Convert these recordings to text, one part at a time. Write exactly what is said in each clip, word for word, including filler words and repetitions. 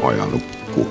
ajalukku.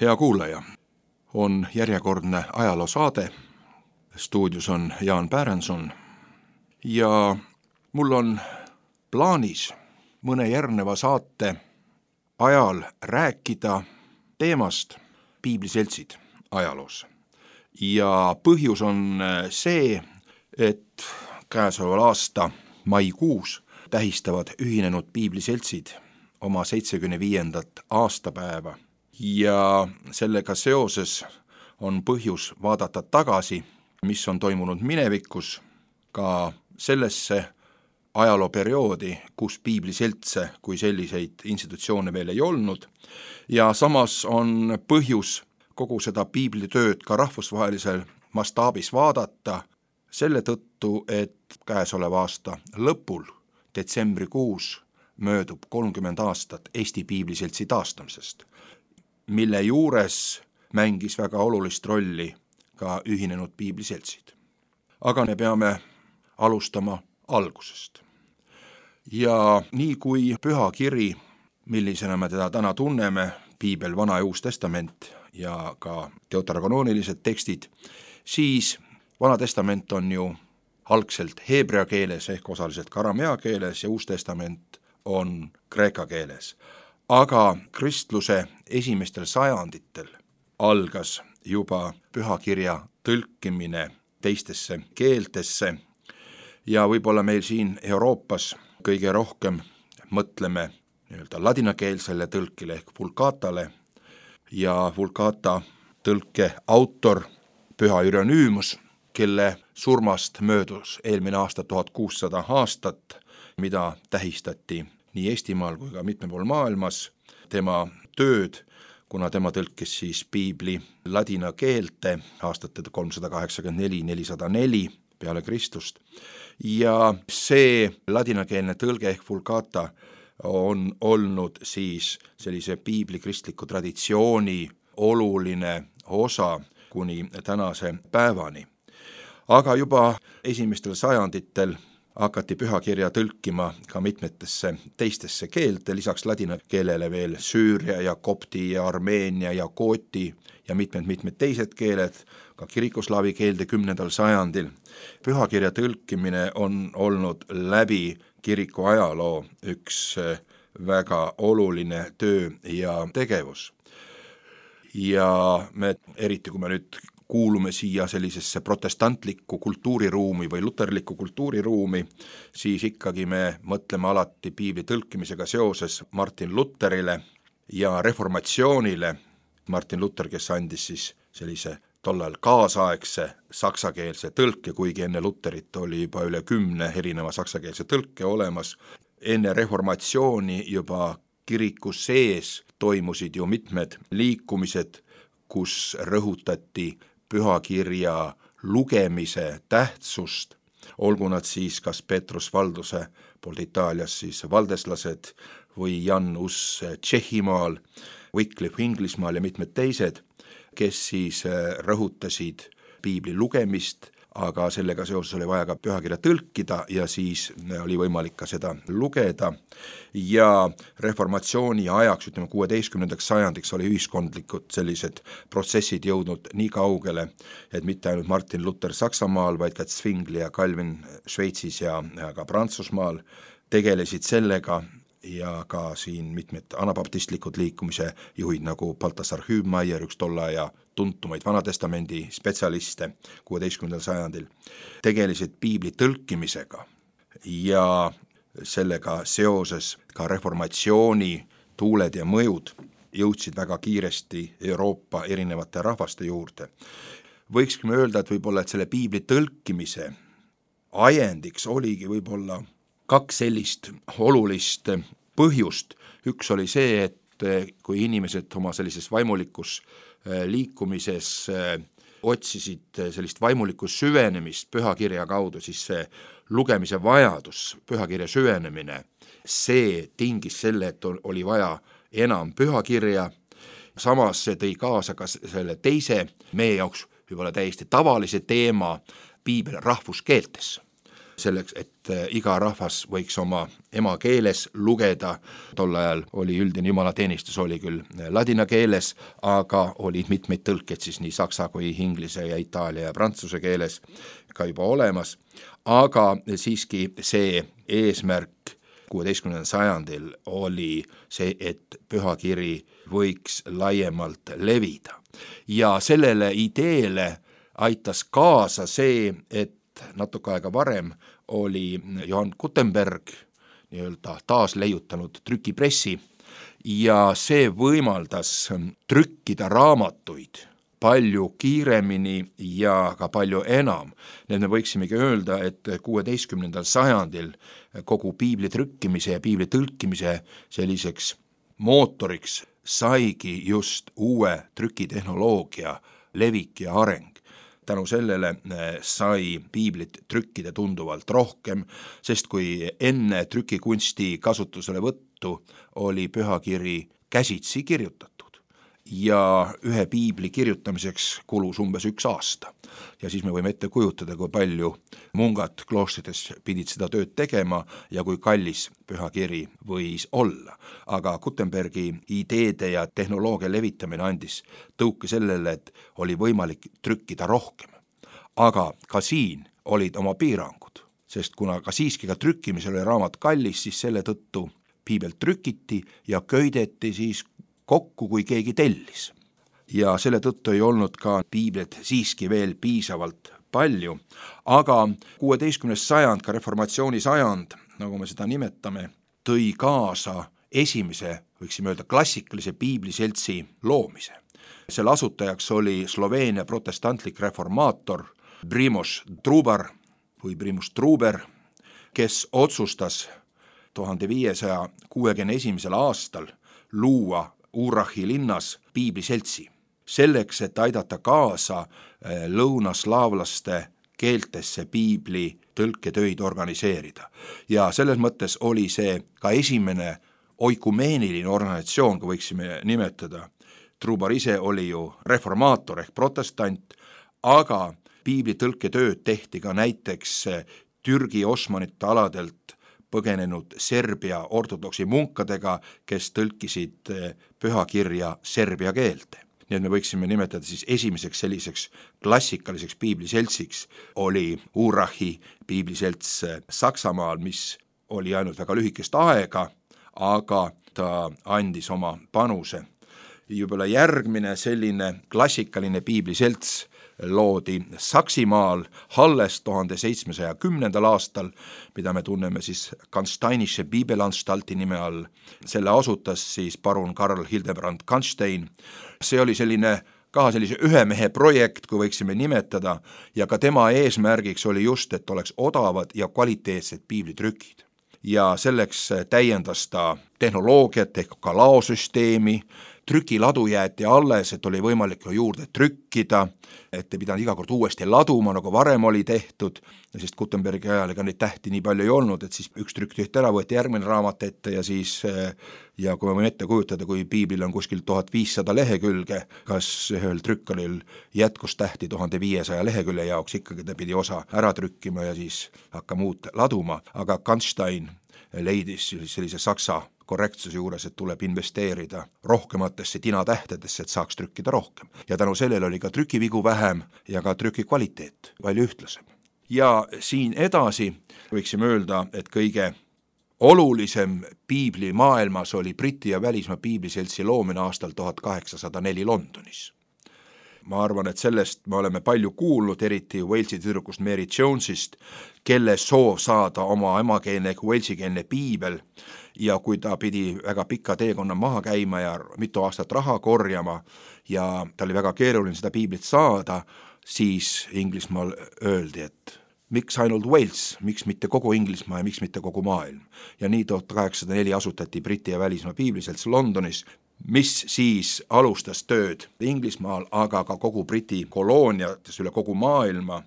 Hea kuulaja, on järjekordne ajaloosaade. Stuudios on Jaan Pärenson ja mul on plaanis mõne järgneva saate ajal rääkida teemast piibliseltsid ajaloos. Ja põhjus on see, et käesoleval aasta maikuus tähistavad ühinenud piibliseltsid oma seitsmekümne viiendat aastapäeva ja sellega seoses on põhjus vaadata tagasi, mis on toimunud minevikus, ka sellesse ajalooperioodi, kus piibliseltse kui selliseid institutsioone veel ei olnud, ja samas on põhjus kogu seda piiblitööd ka rahvusvahelisel mastaabis vaadata selle tõttu, et käesoleva aasta lõpul, detsembrikuus, möödub kolmkümmend aastat Eesti piibliseltsi taastamisest, mille juures mängis väga olulist rolli ka ühinenud piibliseltsid. Aga me peame alustama algusest. Ja nii kui püha kiri, millisena me teda täna tunneme, piibel, Vana ja Uus Testament ja ka deuteronoonilised tekstid, siis Vana Testament on ju algselt heebrea keeles ehk osaliselt ka aramea keeles ja Uus Testament on kreeka keeles. Aga kristluse esimestel sajanditel algas juba pühakirja tõlkimine teistesse keeltesse ja võib-olla meil siin Euroopas kõige rohkem mõtleme nii-öelda ladinakeelsele tõlkile ehk vulgatale ja vulgata tõlke autor Püha Irenüümus, kelle surmast möödus eelmine aasta tuhat kuussada aastat, mida tähistati nii Eestimaal kui ka mitmel pool maailmas, tema tööd, kuna tema tõlkis siis piibli ladina keelte aastate kolmsada kaheksakümmend neli nelisada neli peale Kristust. Ja see ladinakeelne tõlge ehk vulgata on olnud siis sellise piibli kristliku traditsiooni oluline osa kuni tänase päevani. Aga juba esimestel sajanditel hakati pühakirja tõlkima ka mitmetesse teistesse keelte, lisaks ladina keelele veel süüria ja kopti ja armeenia ja kooti ja mitmed-mitmed teised keeled, ka kirikuslaavi keelde kümnendal sajandil. Pühakirja tõlkimine on olnud läbi kiriku ajaloo üks väga oluline töö ja tegevus. Ja me, eriti kui me nüüd kuulume siia sellisesse protestantlikku kultuuriruumi või luterlikku kultuuriruumi, siis ikkagi me mõtleme alati piibli tõlkimisega seoses Martin Luterile ja reformatsioonile. Martin Luther, kes andis siis sellise tollal kaasaegse saksakeelse tõlke, kuigi enne Luterit oli juba üle kümne erineva saksakeelse tõlke olemas. Enne reformatsiooni juba kiriku sees toimusid ju mitmed liikumised, kus rõhutati pühakirja lugemise tähtsust, olgu nad siis kas Petrus Valduse poolt Itaalias siis valdeslased või Jan Hus Tšehhimaal, Wycliffe Inglismaal ja mitmed teised, kes siis rõhutasid piibli lugemist, aga sellega seoses oli vaja ka pühakirja tõlkida ja siis oli võimalik ka seda lugeda. Ja reformatsiooni ajaks, ütleme kuueteistkümnendaks sajandiks oli ühiskondlikud sellised protsessid jõudnud nii kaugele, et mitte ainult Martin Luther Saksamaal, vaid ka Zwingli ja Calvin Šveitsis ja, ja ka Prantsusmaal tegelesid sellega ja ka siin mitmed anabaptistlikud liikumise juhid nagu Balthasar Hübmeier, üks tolle ja tuntumaid Vanatestamendi spetsialiste kuueteistkümnendal sajandil, tegelesid piibli tõlkimisega ja sellega seoses ka reformatsiooni tuuled ja mõjud jõudsid väga kiiresti Euroopa erinevate rahvaste juurde. Võikski öelda, et võib-olla, et selle piibli tõlkimise ajendiks oligi võib-olla kaks sellist olulist põhjust. Üks oli see, et kui inimesed oma sellises vaimulikus liikumises otsisid sellist vaimulikku süvenemist pühakirja kaudu, siis see lugemise vajadus, pühakirja süvenemine, see tingis selle, et oli vaja enam pühakirja samas see tõi kaasa ka selle teise, meie jaoks võib-olla täiesti tavalise teema, piibel rahvuskeeltes. Selleks, et iga rahvas võiks oma emakeeles lugeda, tol ajal oli üldine jumalateenistus, oli küll ladina keeles, aga olid mitmeid tõlked siis nii saksa kui inglise ja itaalia ja prantsuse keeles ka juba olemas, aga siiski see eesmärk kuueteistkümnendal sajandil oli see, et pühakiri võiks laiemalt levida. Ja sellele ideele aitas kaasa see, et natuke aega varem oli Johann Gutenberg nii-öelda taas leiutanud trükipressi ja see võimaldas trükkida raamatuid palju kiiremini ja ka palju enam. Nii et me võiksimegi öelda, et kuueteistkümnendal sajandil kogu piibli trükkimise ja piibli tõlkimise selliseks mootoriks saigi just uue trükitehnoloogia levik ja areng. Tänu sellele sai piiblit trükkida tunduvalt rohkem, sest kui enne trükikunsti kasutusele võttu oli pühakiri käsitsi kirjutatud ja ühe piibli kirjutamiseks kulus umbes üks aasta. Ja siis me võime ette kujutada, kui palju mungad kloostrites pidid seda tööd tegema ja kui kallis pühakiri võis olla. Aga Gutenbergi ideede ja tehnoloogia levitamine andis tõuke sellele, et oli võimalik trükkida rohkem. Aga ka siin olid oma piirangud, sest kuna ka siiski ka trükkimisel oli raamat kallis, siis selle tõttu piibel trükiti ja köideti siis kokku, kui keegi tellis. Ja selle tõttu ei olnud ka piiblet siiski veel piisavalt palju, aga kuueteistkümnes sajand, ka reformatsiooni sajand, nagu me seda nimetame, tõi kaasa esimese, võiksime öelda, klassikalise piibliseltsi loomise. Selle asutajaks oli Sloveenia protestantlik reformaator Primož Trubar või Primož Truber, kes otsustas tuhande viiesaja kuuekümne esimesel aastal luua Urahi linnas piibliseltsi. Selleks, et aidata kaasa lõunaslaavlaste keeltesse piibli tõlketöid organiseerida. Ja selles mõttes oli see ka esimene oikumeeniline organisatsioon, kui võiksime nimetada. Trubar ise oli ju reformaator ehk protestant, aga piibli tõlketööd tehti ka näiteks Türgi osmanite aladelt põgenenud Serbia ortodoksi munkadega, kes tõlkisid pühakirja serbia keelte. Nii et me võiksime nimetada siis esimeseks selliseks klassikaliseks piibliseltsiks oli Urahi piibliselts Saksamaal, mis oli ainult väga lühikest aega, aga ta andis oma panuse. Juba järgmine selline klassikaline piibliselts loodi Saksimaal Halles tuhande seitsmesaja kümnendal aastal, mida me tunneme siis Kansteinische Bibelanstalti nime all. Selle asutas siis parun Karl Hildebrand Kanstein. See oli selline ka sellise ühe mehe projekt, kui võiksime nimetada, ja ka tema eesmärgiks oli just, et oleks odavad ja kvaliteetsed piiblitrükid. Ja selleks täiendas ta tehnoloogiat ehk ka laosüsteemi, trükiladu jäeti alles, et oli võimalik juurde trükkida, et ei pidanud iga kord uuesti laduma, nagu varem oli tehtud, sest Gutenbergi ajal ega neid tähti nii palju ei olnud, et siis üks trükk tehti ära, võeti järgmine raamat ette ja siis, ja kui me võime ette kujutada, kui piiblil on kuskil tuhat viissada lehekülge, kas ühel trükkalil jätkus tähti tuhande viiesaja lehekülje jaoks, ikkagi ta pidi osa ära trükkima ja siis hakkama uut laduma, aga Kanstein leidis sellise saksa korrektsuse juures, et tuleb investeerida rohkematesse tinatähtedesse, et saaks trükkida rohkem. Ja tänu sellele oli ka trükivigu vähem ja ka trüki kvaliteet palju ühtlasem. Ja siin edasi võiksime öelda, et kõige olulisem piibli maailmas oli Briti ja välismaa piibliseltsi loomine aastal tuhat kaheksasada neli Londonis. Ma arvan, et sellest me oleme palju kuulnud, eriti Walesi tüdrukust Mary Jonesist, kelle soov saada oma emakeelne ehk walesikeelne piibel, ja kui ta pidi väga pika teekonna maha käima ja mitu aastat raha korjama ja ta oli väga keeruline seda piiblit saada, siis Inglismaal öeldi, et miks ainult Wales, miks mitte kogu Inglismaa ja miks mitte kogu maailm. Ja nii tuhat kaheksasada neli asutati Briti ja välismaa piibliselts Londonis, mis siis alustas tööd Inglismaal, aga ka kogu Briti kolooniates üle kogu maailma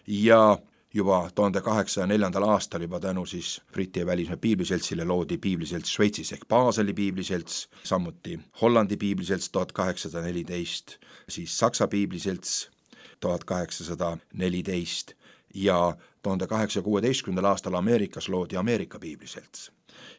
ja juba tuhande kaheksasaja neljandal aastal juba tänu siis Briti ja välismaa piibliseltsile loodi piibliselts Šveitsis ehk Baseli piibliselts, samuti Hollandi piibliselts tuhat kaheksasada neliteist, siis Saksa piibliselts tuhat kaheksasada neliteist ja tuhande kaheksasaja kuueteistkümnendal aastal Ameerikas loodi Ameerika piibliselts.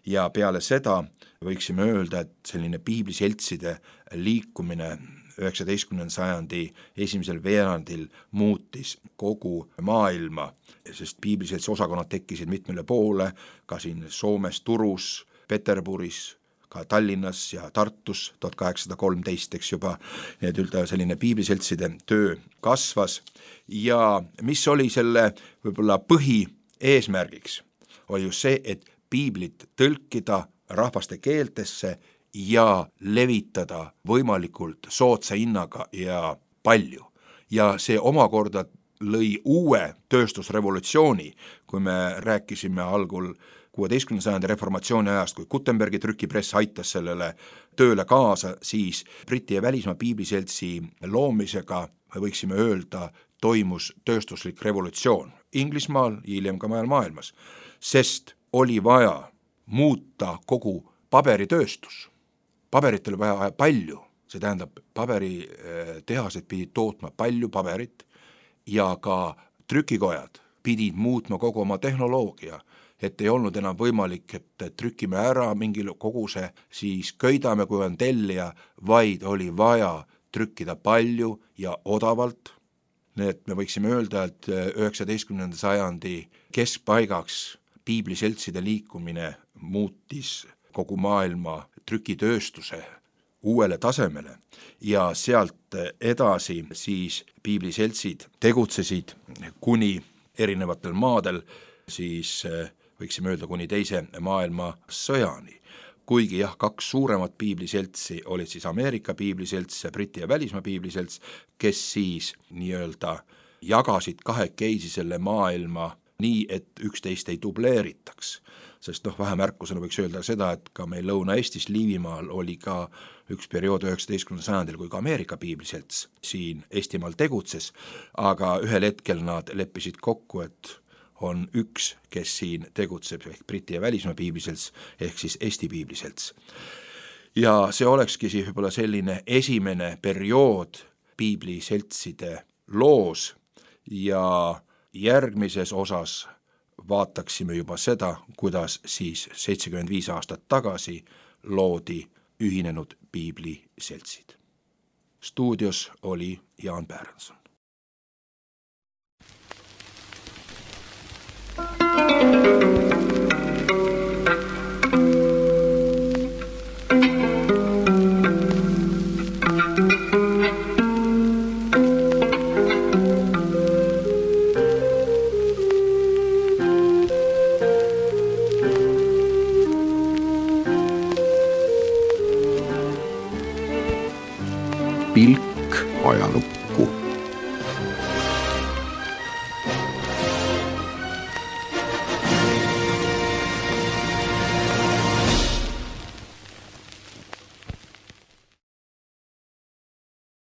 Ja peale seda võiksime öelda, et selline piibliseltside liikumine üheksateistkümnenda sajandi esimesel veerandil muutis kogu maailma, sest piibliseltsi osakonnad tekkisid mitmele poole, ka siin Soomes, Turus, Peterburis, ka Tallinnas ja Tartus tuhat kaheksasada kolmteist, eks juba, need üldse selline piibliseltside töö kasvas ja mis oli selle võib-olla põhieesmärgiks, oli just see, et piiblit tõlkida rahvaste keeltesse ja levitada võimalikult soodsa hinnaga ja palju. Ja see omakorda lõi uue tööstusrevolutsiooni, kui me rääkisime algul kuueteistkümnenda sajandi reformatsiooni ajast, kui Gutenbergi trükipress aitas sellele tööle kaasa, siis Briti ja välismaa piibliseltsi loomisega, me võiksime öelda, toimus tööstuslik revolutsioon Inglismaal, hiljem ka maailmas, sest oli vaja muuta kogu paberitööstus. Paberit oli vaja palju, see tähendab, paberitehased pidid tootma palju paberit ja ka trükikojad pidid muutma kogu oma tehnoloogia, et ei olnud enam võimalik, et trükime ära mingil koguse, siis köidame, kui on tellija, vaid oli vaja trükkida palju ja odavalt. Nii et me võiksime öelda, et üheksateistkümnenda sajandi keskpaigaks piibliseltside liikumine muutis kogu maailma trükitööstuse uuele tasemele ja sealt edasi siis piibliseltsid tegutsesid kuni erinevatel maadel, siis võiksime öelda kuni teise maailma sõjani. Kuigi jah, kaks suuremat piibliseltsi olid siis Ameerika piibliselts ja Briti ja välismaa piibliselts, kes siis nii-öelda jagasid kahekesi selle maailma nii, et üksteist ei dubleeritaks. Sest noh, vähemärkusena võiks öelda seda, et ka meil Lõuna-Eestis Liivimaal oli ka üks periood üheksateistkümnendal sajandil, kui ka Ameerika piibliselts siin Eestimaal tegutses, aga ühel hetkel nad leppisid kokku, et on üks, kes siin tegutseb, ehk Briti ja välismaa piibliselts, ehk siis Eesti piibliselts. Ja see olekski siis võib-olla selline esimene periood piibliseltside loos ja järgmises osas vaataksime juba seda, kuidas siis seitsekümmend viis aastat tagasi loodi ühinenud piibliseltsid. Stuudios oli Jaan Päranson. Pilk ajalukku.